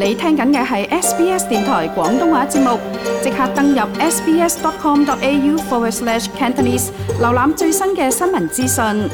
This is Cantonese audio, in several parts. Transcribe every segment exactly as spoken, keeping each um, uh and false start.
你聽緊嘅係 S B S 電台廣東話節目，即刻登入 sbs.com.au forward slash Cantonese， 瀏覽最新嘅新聞資訊。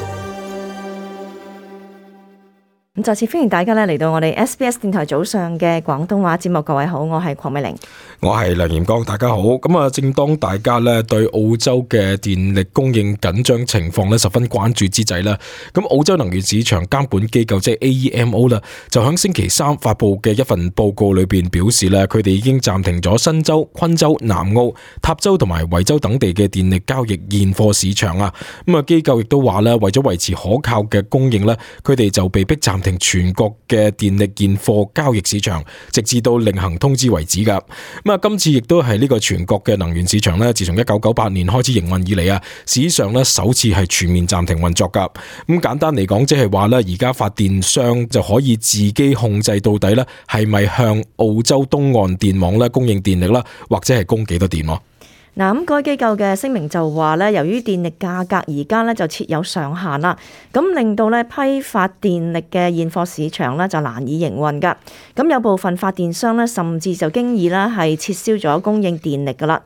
咁再次歡迎大家咧嚟到我哋 S B S 電台早上嘅廣東話節目，各位好，我係鄺美玲，我係梁炎光，大家好。咁啊，正當大家咧對澳洲嘅電力供應緊張情況咧十分關注之際咧，咁澳洲能源市場監管機構即係 A E M O 啦，就喺星期三發佈嘅一份報告裏邊表示咧，佢哋已經暫停咗新州、昆州、南澳、塔州同埋維州等地嘅電力交易現貨市場啊。咁啊，機構亦都話咧，為咗維持可靠嘅供應咧，佢哋就被逼暫停全國嘅電力現貨交易市場，直至到另行通知為止噶。咁啊，今次亦都係呢個全國嘅能源市場咧，自從一九九八年開始營運以嚟啊，史上咧首次係全面暫停運作噶。咁簡單嚟講，即係話咧，而家發電商就可以自己控制到底咧，係咪向澳洲東岸電網咧供應電力啦，或者係供幾多電咯？嗱，咁該機構嘅聲明就話咧，由於電力價格而家咧就設有上限啦，咁令到咧批發電力嘅現貨市場咧就難以營運噶。咁有部分發電商咧甚至就經已咧係撤銷咗供應電力噶啦。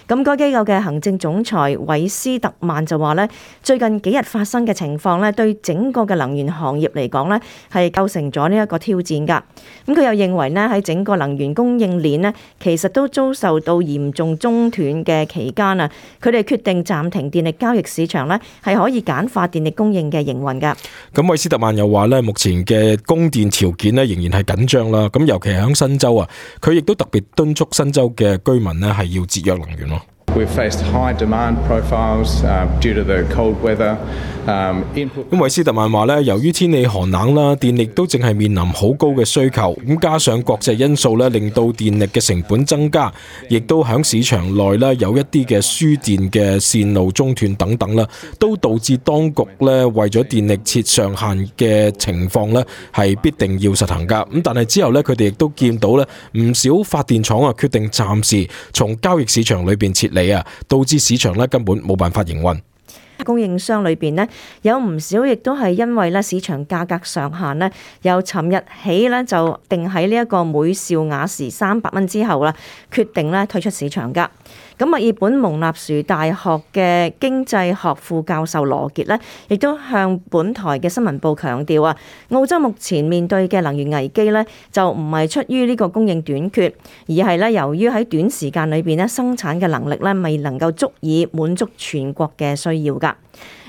咁該機構嘅行政總裁韋斯特曼就話咧，最近幾日發生嘅情況咧，對整個嘅能源行業嚟講咧係構成咗呢一個挑戰噶。咁佢又認為咧喺整個能源供應鏈咧，其實都遭受到嚴重中斷嘅期間啊，佢哋決定暫停電力交易市場咧，係可以簡化電力供應嘅營運噶。咁韋斯特曼又話咧，目前嘅供電條件咧仍然係緊張啦。咁尤其係喺新州啊，佢亦都特別敦促新州嘅居民咧係要節約能源咯。We've faced high demand profiles uh, due to the cold weather. 咁韋斯特曼話咧，由於天氣寒冷啦，電力都淨係面臨好高嘅需求，咁加上國際因素咧，令到電力嘅成本增加，亦都喺市場內咧有一啲嘅輸電嘅線路中斷等等啦，都導致當局咧為咗電力設上限嘅情況咧係必定要實行噶。咁但係之後咧，佢哋亦都見到咧唔少發電廠啊決定暫時從交易市場裏邊撤離啊，導致市場咧根本冇辦法營運。供應商裏邊呢，有唔少亦都係因為咧市場價格上限呢，由尋日起咧就定喺呢一個每兆瓦時三百蚊之後啦，決定咧退出市場噶。咁墨爾本蒙納殊大學嘅經濟學副教授羅傑呢，亦都向本台嘅新聞部強調啊，澳洲目前面對嘅能源危機呢，就唔係出於呢個供應短缺，而係咧由於喺短時間裏邊咧生產嘅能力咧未能夠足以滿足全國嘅需要噶。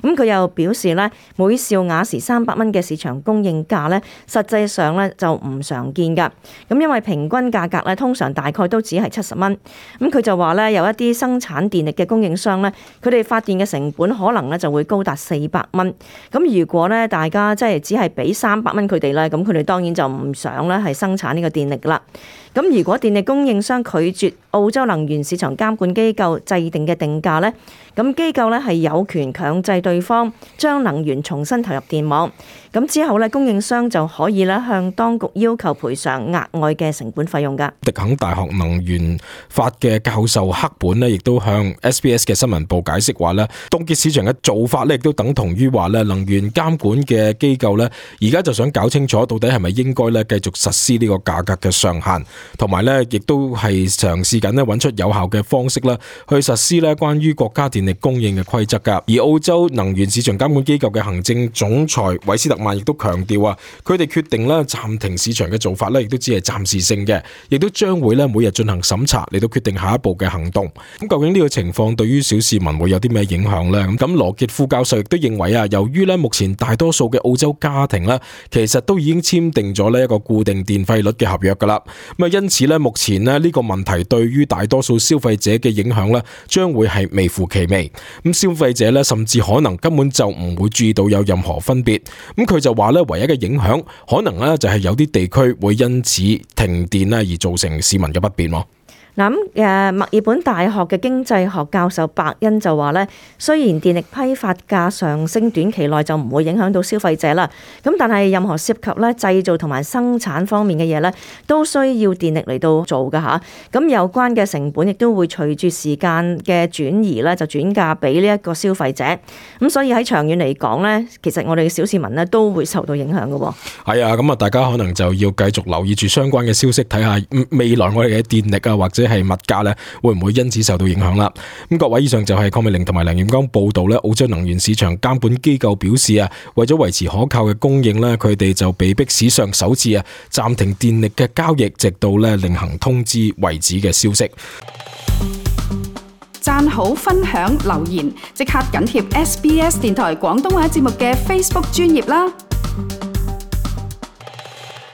咁佢又表示咧，每兆瓦時三百蚊嘅市場供應價咧，實際上咧就唔常見噶。咁因為平均價格咧，通常大概都只係七十蚊。咁佢就話咧，有一啲生產電力嘅供應商咧，佢哋發電嘅成本可能咧就會高達四百蚊。咁如果咧大家即係只係俾三百蚊佢哋咧，咁佢哋當然就唔想咧係生產呢個電力啦。咁如果電力供應商拒絕澳洲能源市場監管機構制定嘅定價呢，咁機構呢係有權強制對方將能源重新投入電網。咁之後呢，供應商就可以咧向當局要求賠償額外嘅成本費用㗎。迪肯大學能源法嘅教授克本呢，亦都向 S B S 嘅新聞部解釋話呢，凍結市場嘅做法呢，亦都等同於話呢，能源監管嘅機構呢，而家就想搞清楚到底係咪應該呢繼續實施呢個價格嘅上限。同埋咧，亦都係嘗試緊咧揾出有效嘅方式啦，去實施咧關於國家電力供應嘅規則噶。而澳洲能源市場監管機構嘅行政總裁韋斯特曼亦都強調啊，佢哋決定咧暫停市場嘅做法咧，亦都只係暫時性嘅，亦都將會咧每日進行審查嚟到決定下一步嘅行動。咁究竟呢個情況對於小市民會有啲咩影響呢？咁羅傑副教授亦都認為啊，由於咧目前大多數嘅澳洲家庭咧，其實都已經簽訂咗呢一個固定電費率嘅合約噶啦。咁啊，因此咧，目前咧呢個問題對於大多數消費者嘅影響咧，將會係微乎其微。咁消費者咧，甚至可能根本就唔會注意到有任何分別。咁佢就話咧，唯一嘅影響可能咧就係有啲地區會因此停電咧而造成市民嘅不便咯。嗱咁誒，墨爾本大學嘅經濟學教授白恩就話咧，雖然電力批發價上升，短期內就唔會影響到消費者啦。咁但係任何涉及咧製造同埋生產方面嘅嘢咧，都需要電力嚟到做㗎吓。咁有關嘅成本亦都會隨住時間嘅轉移咧，就轉嫁俾呢一個消費者。咁所以喺長遠嚟講咧，其實我哋嘅小市民咧都會受到影響㗎喎。係啊，咁啊，大家可能就要繼續留意住相關嘅消息，睇下未來我哋嘅電力啊或者係物價咧，會唔會因此受到影響啦？咁各位，以上就係鄺美玲同埋梁彥剛報道咧。澳洲能源市場監管機構表示啊，為咗維持可靠嘅供應咧，佢哋就被迫史上首次啊暫停電力嘅交易，直到咧另行通知為止嘅消息。讚好、分享、留言，即刻緊貼 S B S 電台廣東話節目嘅 Facebook 專頁啦！